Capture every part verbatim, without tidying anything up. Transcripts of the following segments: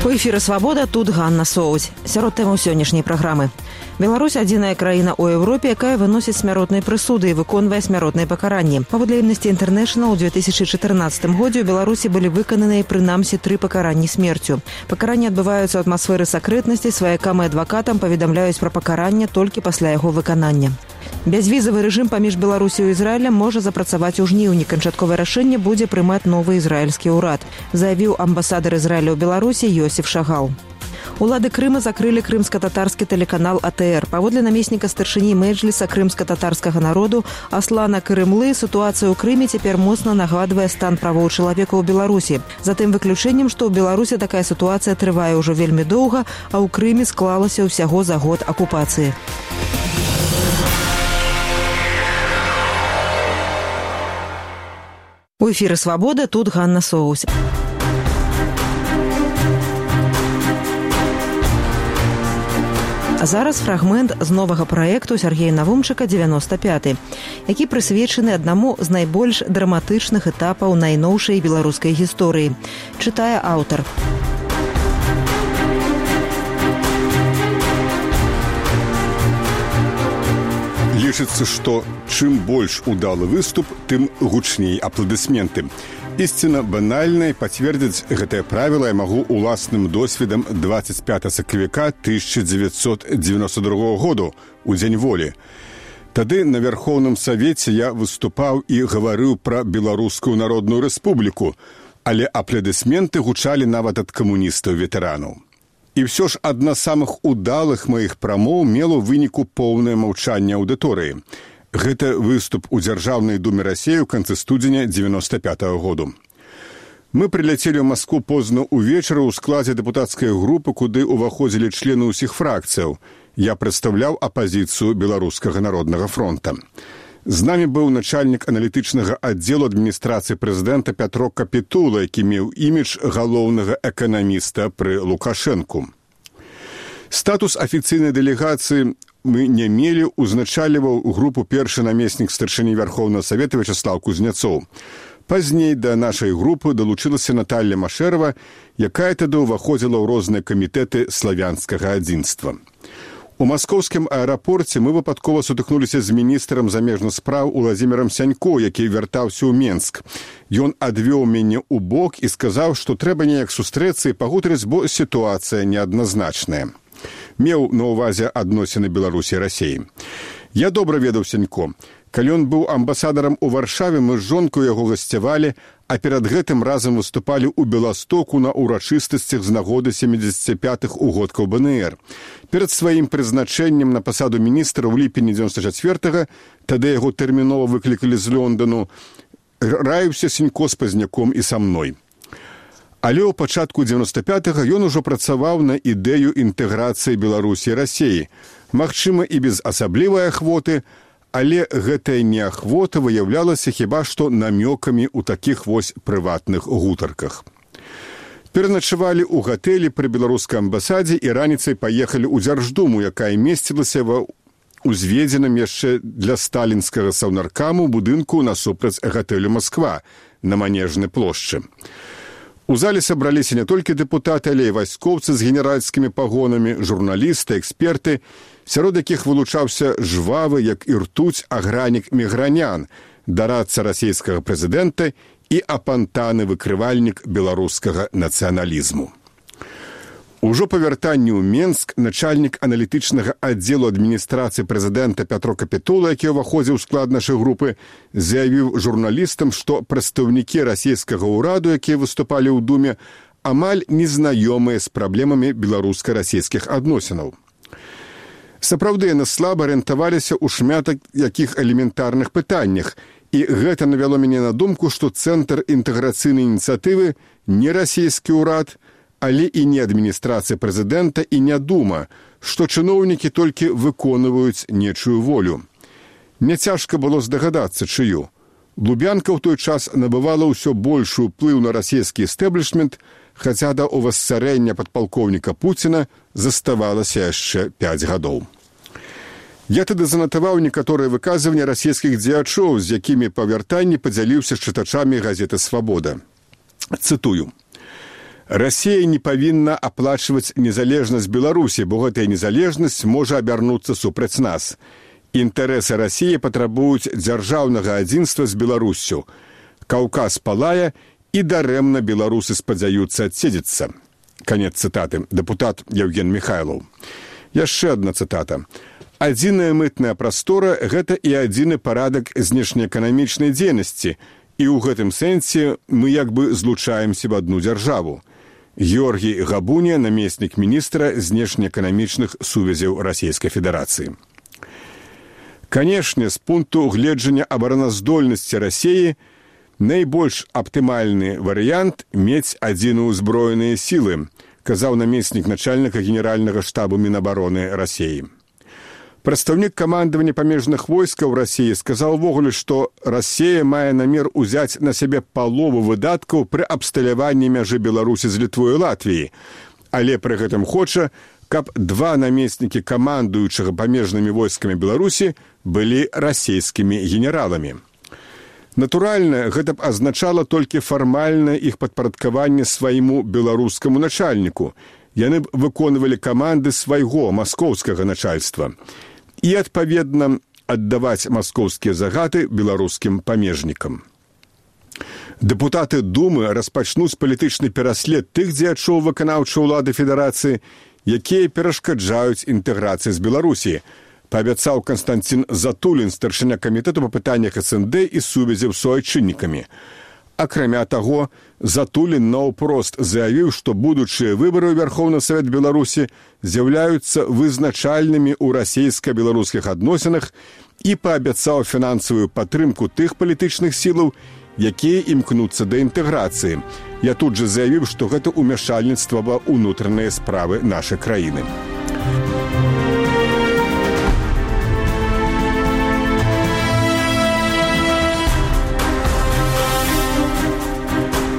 У эфіры «Свабода», тут Ганна Соуць. Сярод тэмаў сённяшняй праграмы. Беларусь – адзіная краіна ў Еўропе, якая выносіць смяротныя прысуды і выконвае смяротныя пакаранні. Паводле Amnesty International, у две тысячи чатырнаццатым годзе ў Беларусі былі выкананыя прынамсі тры пакаранні смерцю. Пакаранні адбываюцца ў атмасферы сакрэтнасці, сваякам і адвакатам паведамляюць пра пакаранне толькі пасля яго выканання. Бязвізавы рэжым паміж Беларусю і Ізраілем можа запрацаваць у жніўні. Канчатковае рашэнне будзе прымаць новы ізраільскі ўрад, заявіў амбасадар Ізраіля ў Беларусі Йосиф Шагал. Улады Крыма закрылі крымска-татарскі тэлеканал А Тэ Эр. Паводле намесніка старшыні Мэджліса крымска-татарскага народу Аслана Карымлы, сітуацыя ў Крыме цяпер моцна нагадвае стан правоў чалавека ў Беларусі. За тым выключэннем, што ў Беларусі такая сітуацыя трывае ўжо вельмі доўга, а ў Крыме склалася ўсяго за год акупацыі. У эфіры «Свабода», тут Ганна Соуць. А зараз фрагмент з новага праекту Сергея Навумчыка «девяносто пятый», які прысвечаны аднаму з найбольш драматычных этапаў найноўшай беларускай гісторыі. Чытае аўтар. Лічыцца, што чым больш удалы выступ, тым гучней апладысменты. Ісціна банальная, пацвердзіць гэтае правіла я магу уласным досведам двадцать пятого сакавіка тысяча девятьсот девяносто другого году, у Дзень волі. Тады на Вярхоўным Савеце я выступаў і гаварыў пра Беларускую народную рэспубліку, але апладысменты гучалі нават ад камуністаў-ветэранаў. І ўсё ж адна з самых удалых маіх прамоў мела ў выніку поўнае маўчанне аўдыторыі. Гэта выступ у Дзяржаўнай думе Расіі ў канцы студзеня девяносто пятого году. Мы прыляцелі ў Маскву позна ўвечары ў складзе дэпутацкай групы, куды ўваходзілі члены ўсіх фракцыяў. Я прадстаўляў апазіцыю Беларускага народнага фронта. З намі быў начальнік аналітычнага аддзелу адміністрацыі прэзідэнта Пятро Капітула, які меў імідж галоўнага эканаміста пры Лукашэнку. Статус афіцыйнай дэлегацыі мы не мелі, узначаліваў групу першы намеснік старшыні Вярхоўнага Савета Вячаслаў Кузнецоў. Пазней да нашай групы далучылася Наталья Машэрава, якая тады ўваходзіла ў розныя камітэты славянскага адзінства. У маскоўскім аэрапорце мы выпадкова сутыкнуліся з міністрам замежных спраў Уладзімірам Сянько, які вяртаўся ў Менск. Ён адвёў мяне ў бок і сказаў, што трэба неяк сустрэцца і пагутарыць, бо сітуацыя неадназначная. Меў на ўвазе адносіны Беларусі і Расіі. Я добра ведаў Сянько. Калі ён быў амбасадарам у Варшаве, мы з жонкаю яго гасцявалі, а перад гэтым разам выступалі ў Беластоку на ўрачыстасцях з нагоды сямідзесяціпятых угодкаў Бэ Эн Ер. Перад сваім прызначэннем на пасаду міністра ў ліпені дзевяносто чацвёртага, тады яго тэрмінова выклікалі з Лондану, раіўся Сянько з Пазняком і са мной. Але ў пачатку дзевяносто пятага ён ужо працаваў на ідэю інтэграцыі Беларусі і Расіі. Магчыма, і без асаблівай ахвоты, але гэтая неахвота выяўлялася хіба што намёкамі ў такіх вось прыватных гутарках. Пераначавалі ў гатэлі пры беларускай амбасадзе і раніцай паехалі ў Дзярждуму, якая месцілася ва ўзведзеным яшчэ для сталінскага саўнаркаму будынку насупраць гатэлю Масква на Манежнай плошчы. У зале сабраліся не толькі дэпутаты, але і вайскоўцы з генеральскімі пагонамі, журналісты, эксперты, сярод якіх вылучаўся жвавы, як і ртуць, агранік Мігранян, дарадца расійскага прэзідэнта і апантаны выкрывальнік беларускага нацыяналізму. Ужо па вяртанні ў Менск начальнік аналітычнага аддзелу адміністрацыі прэзідэнта Пятро Капітула, які ўваходзіў у склад нашай групы, заявіў журналістам, што прадстаўнікі расійскага ўраду, якія выступалі ў Думе, амаль незнаёмыя з праблемамі беларуска-расійскіх адносінаў. Сапраўды, яны слаба арыентаваліся ў шматак якіх элементарных пытаннях, і гэта навяло мяне на думку, што цэнтр інтэграцыйнай ініцыятывы не расійскі ўрад, але і не адміністрацыя прэзідэнта і не дума, што чыноўнікі толькі выконваюць нечую волю. Няцяжка было здагадацца, чыю. Лубянка ў той час набывала ўсё большы ўплыў на расійскі эстэблішмент, хаця да ўвасцарэння падпалкоўніка Пуціна заставалася яшчэ пяць гадоў. Я тады занатаваў некаторыя выказванні расійскіх дзеячоў, з якімі па вяртанні падзяліўся з чытачамі газеты «Свабода». Цытую. Расія не павінна аплачваць незалежнасць Беларусі, бо гэтая незалежнасць можа абярнуцца супраць нас. Інтарэсы Расіі патрабуюць дзяржаўнага адзінства з Беларуссю. Каўказ палае, і дарэмна беларусы спадзяюцца адседзецца. Канец цытаты. Дэпутат Евген Михайлов. Яшчэ адна цытата. Адзіная мытная прастора – гэта і адзіны парадак знешнеэканамічнай дзейнасці, і ў гэтым сэнсе мы як бы злучаемся в одну дзяржаву. Георгій Габуня, намеснік міністра знешнеэканамічных сувязяў Расійскай Федэрацыі. Канешне, з пункту гледжання абараназдольнасці Расіі найбольш аптымальны варыянт мець адзіную ўзброеныя сілы, казаў намеснік начальніка генеральнага штабу Мінабароны Расіі. Прадстаўнік камандавання памежных войскаў Расіі сказаў увогуле, што Расія мае намер узяць на сябе палову выдаткаў пры абсталяванні мяжы Беларусі з Літвой і Латвіяй, але пры гэтым хоча, каб два намеснікі камандуючага памежнымі войскамі Беларусі былі расійскімі генераламі. Натуральна, гэта б азначала толькі фармальнае іх падпарадкаванне свайму беларускаму начальніку. Яны б выконвалі каманды свайго маскоўскага начальства і, адпаведна, аддаваць маскоўскія загады беларускім памежнікам. Дэпутаты Думы распачнуць палітычны пераслед тых дзеячоў выканаўчай улады Федэрацыі, якія перашкаджаюць інтэграцыі з Беларусі, паабяцаў Канстантин Затулін, старшыня камітэту па пытаннях эс эн дэ і сувязі з суайчыннікамі. Акрамя таго, Затулін наўпрост заявіў, што будучыя выбары ў Верховны Савет Беларусі з'яўляюцца вызначальнымі ў расійска-беларускіх адносінах і паабяцаў фінансавую падтрымку тых палітычных сілаў, якія імкнуцца да інтэграцыі. Я тут жа заявіў, што гэта ўмяшальніцтва ва ўнутраныя справы нашай краіны.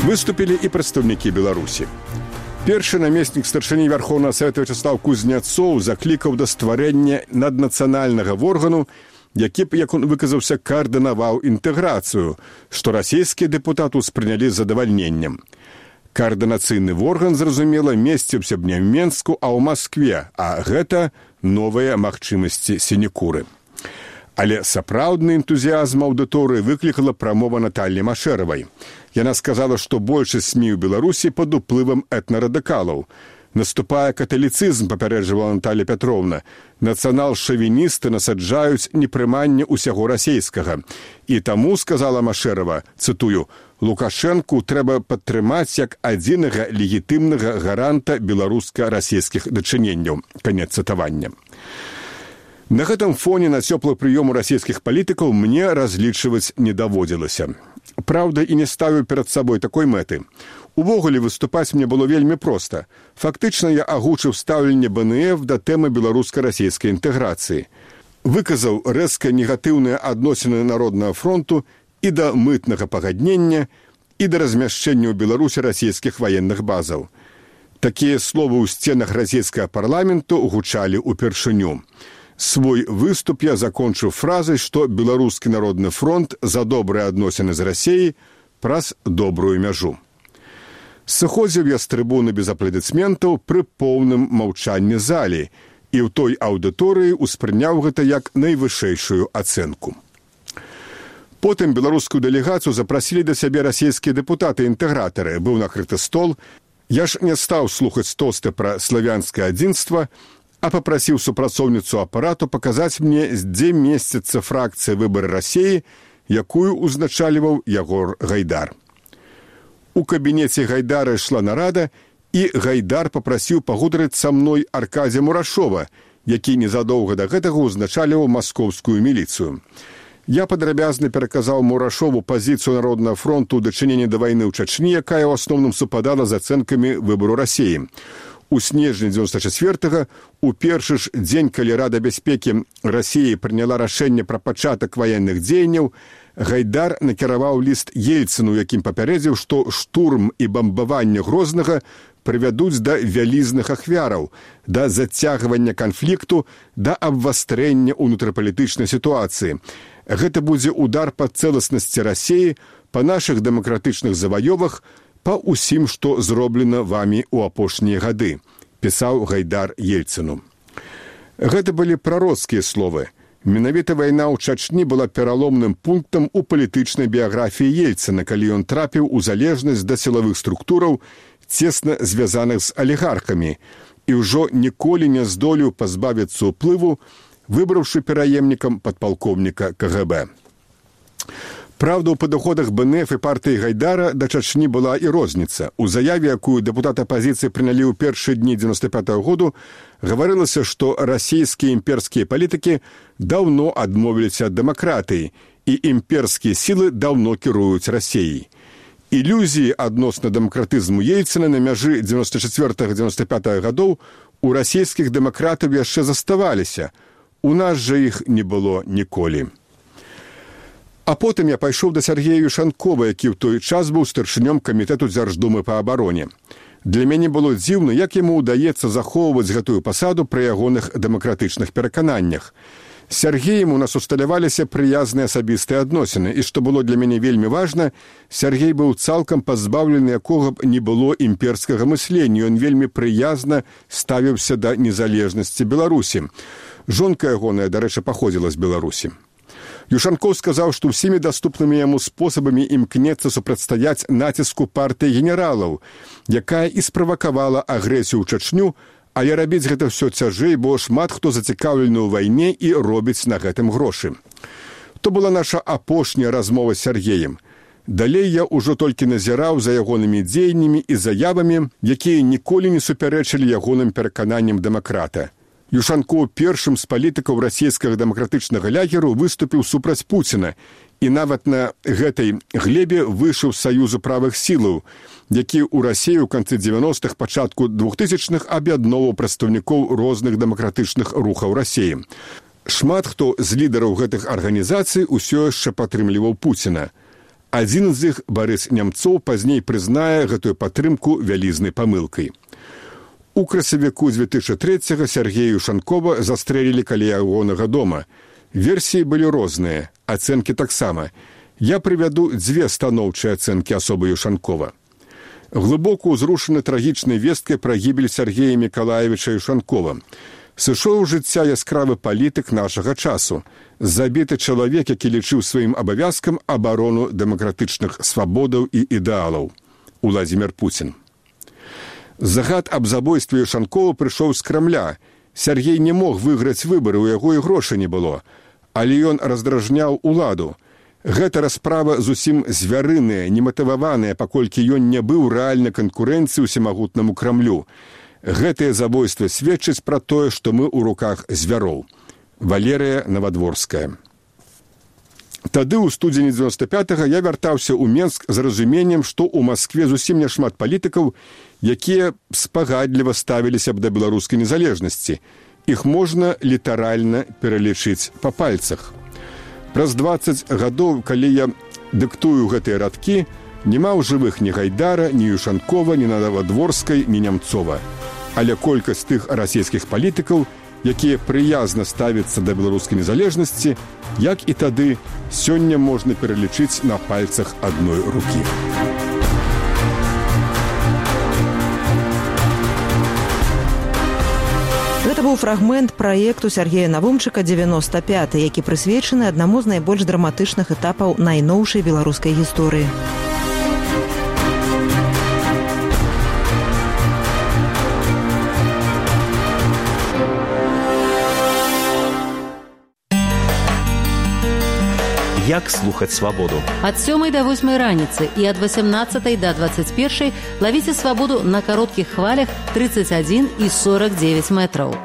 Выступілі і прадстаўнікі Беларусі. Першы намеснік старшыні Верховнага Савета Вячеслав Кузняцоў заклікаў да стварэння наднацыянальнага органу, які б, як он выказаўся, каардынаваў інтэграцыю, што расійскія дэпутаты ўспрынялі з задавальненнем. Каардынацыйны орган, зразумела, месціўся б не ў Менску, а ў Маскве, а гэта новыя магчымасці сінекуры. Але сапраўдны энтузіязм аўдыторыі выклікала прамова Натальі Машэравай. Яна сказала, што большасць СМІ ў Беларусі пад уплывам этнарадыкалаў. Наступае каталіцызм, папярэджвала Наталья Пятровна. Нацыянал-шавіністы насаджаюць непрыманне ўсяго расейскага. І таму, сказала Машэрава, цытую, Лукашэнку трэба падтрымаць як адзінага легітымнага гаранта беларуска-расійскіх дачыненняў. Канец цытавання. На гэтым фоне на цёплы прыём у расійскіх палітыкаў мне разлічваць не даводзілася. Праўда, і не ставіў перад сабой такой мэты. Увогуле выступаць мне было вельмі проста. Фактычна я агучыў стаўленне бэ эн эф да тэмы беларуска-расійскай інтэграцыі. Выказаў рэзка негатыўныя адносіны Народнага фронту і да мытнага пагаднення, і да размяшчэння ў Беларусі расійскіх ваенных базаў. Такія словы ў сценах расійскага парламенту гучалі ўпершыню. Свой выступ я закончыў фразай, што Беларускі народны фронт за добрыя адносіны з Расіяй праз добрую мяжу. Сыходзіў я з трыбуны без апладысментаў пры поўным маўчанні залі і ў той аўдыторыі ўспрыняў гэта як найвышэйшую ацэнку. Потым беларускую дэлегацыю запрасілі да сябе расійскія дэпутаты-інтэгратары. Быў накрыты стол. Я ж не стаў слухаць тосты пра славянскае адзінства, а папрасіў супрацоўніцу апарату паказаць мне, дзе месціцца фракцыя «Выбары Расіі», якую узначальваў Ягор Гайдар. У кабінеце Гайдара ішла нарада, і Гайдар папрасіў пагутарыць са мной Аркадзя Мурашова, які незадоўга да гэтага узначальваў маскоўскую міліцыю. Я падрабязна пераказаў Мурашову пазіцыю Народнага фронту ў дачыненні да вайны ў Чачні, якая ў асноўным супадала з ацэнкамі выбару Расіі. У снежні дзевяносто четвёртага, у першы ж дзень, калі Рада бяспекі Расіі прыняла рашэнне пра пачатак ваенных дзеянняў, Гайдар накіраваў ліст Ельцыну, якім папярэдзіў, што штурм і бамбаванне Грознага прывядуць да вялізных ахвяраў, да зацягвання канфлікту, да абвастрэння ўнутрапалітычнай сітуацыі. Гэта будзе удар па цэласнасці Расіі, па нашых дэмакратычных заваёвах, па ўсім, што зроблена вамі ў апошнія гады, пісаў Гайдар Ельцыну. Гэта былі прароцкія словы. Менавіта вайна ў Чачні была пераломным пунктам у палітычнай біяграфіі Ельцына, калі ён трапіў у залежнасць да сілавых структураў, цесна звязаных з алігархамі, і ўжо ніколі не здолеў пазбавіцца ўплыву, выбраўшы пераемнікам падпалкоўніка ка гэ бэ. Праўда, у падыходах бэ эн эф і партыі Гайдара да Чачні была і розніца. У заяве, якую дэпутаты апазіцыі прынялі ў першыя дні дзевяноста пятага году, гаварылася, што расійскія імперскія палітыкі даўно адмовіліся ад дэмакратыі, і імперскія сілы даўно кіруюць Расіяй. Ілюзіі адносна дэмакратызму Ельцына на мяжы дзевяноста чацвёртага - дзевяноста пятага гадоў у расійскіх дэмакратаў яшчэ заставаліся. У нас жа іх не было ніколі. А потым я пайшоў да Сергея Юшанкова, які ў той час быў старшынём камітэту Дзярждумы па абароне. Для мяне было дзіўна, як яму ўдаецца захоўваць гэтую пасаду пры ягоных дэмакратычных перакананнях. З Сергеем у нас усталяваліся прыязныя асабістыя адносіны, і што было для мяне вельмі важна, Сергей быў цалкам пазбаўлены якога б не было імперскага мыслення, ён вельмі прыязна ставіўся да незалежнасці Беларусі. Жонка ягоная, дарэчы, паходзіла з Беларусі. Юшанкоў сказаў, што ўсімі даступнымі яму спосабамі імкнецца супрацьстаяць націску партыі генералаў, якая і справакавала агрэсію ў Чачню, але рабіць гэта ўсё цяжэй, бо шмат хто зацікаўлены ў вайне і робіць на гэтым грошы. То была наша апошняя размова з Сергеем. Далей я ўжо толькі назіраў за ягонымі дзеяннямі і заявамі, якія ніколі не супярэчылі ягоным перакананням дэмакрата. Юшанкоў першым з палітыкаў расійскага дэмакратычнага лягеру выступіў супраць Пуціна і нават на гэтай глебе выйшаў з Саюзу правых сілаў, які ў Расіі ў канцы дзевяностых, пачатку двухтысячных аб'ядноўваў прадстаўнікоў розных дэмакратычных рухаў Расіі. Шмат хто з лідараў гэтых арганізацый усё яшчэ падтрымліваў Пуціна. Адзін з іх, Барыс Нямцоў, пазней прызнае гэтую падтрымку вялізнай памылкай. У красавіку дзве тысячы трэцяга Сергея Юшанкова застрэлілі каля ягонага дома. Версіі былі розныя, ацэнкі таксама. Я прывяду дзве станоўчыя ацэнкі асобы Юшанкова. Глыбока ўзрушаны трагічнай весткай пра гібель Сергея Мікалаевіча Юшанкова. Сышоў у жыцця яскравы палітык нашага часу, забіты чалавек, які лічыў сваім абавязкам абарону дэмакратычных свабодаў і ідэалаў. Уладзімір Пуцін. Загад аб забойстве Юшанкова прыйшоў з Крамля. Сергей не мог выйграць выбары, у яго і грошай не было. Але ён раздражняў уладу. Гэта расправа зусім звярыная, нематываваная, паколькі ён не быў рэальнай канкурэнцыі ўсемагутнаму Крамлю. Гэтае забойства сведчыць пра тое, што мы ў руках звяроў. Валерыя Навадворская. Тады ў студзені дзевяноста пятага я вяртаўся ў Менск з разуменнем, што ў Маскве зусім няшмат палітыкаў, якія спагадліва ставіліся б да беларускай незалежнасці. Іх можна літаральна пералічыць па пальцах. Праз дваццаць гадоў, калі я дыктую гэтыя радкі, няма ў жывых ні Гайдара, ні Юшанкова, ні Навадворскай, ні Нямцова. Але колькасць тых расійскіх палітыкаў, якія прыязна ставяцца да беларускай незалежнасці, як і тады, сёння можна пералічыць на пальцах адной рукі. Гэта быў фрагмент праекту Сергея Навумчыка «дзевяноста пяты», які прысвечаны аднаму з найбольш драматычных этапаў найноўшай беларускай гісторыі. Як слухаць свабоду? Ад сёмай да восьмай раніцы і ад васямнаццатай да дваццаць першай лавіце свабоду на кароткіх хвалях тридцать один і сорок девять метраў.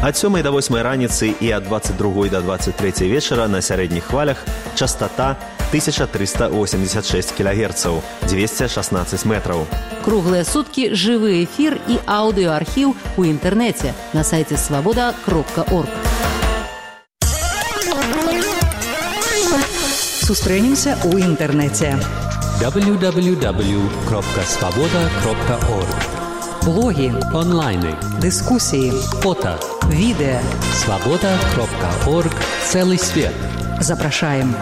Ад сёмай да восьмай раніцы і ад дваццаць другой да дваццаць трэцяй вечара на сярэдніх хвалях частота тысяча триста восемьдесят шесть кілогерцаў, двести шестнадцать метраў. Круглыя суткі жывы эфір і аўдыоархіў у інтэрнэце на сайце свабода кропка орг. Сустрэнемся ў інтэрнэце. дабл ю дабл ю дабл ю кропка свабода кропка орг. Блогі, онлайны, дыскусіі, фото, відэа. свабода кропка орг. Цэлы свет. Запрашаем.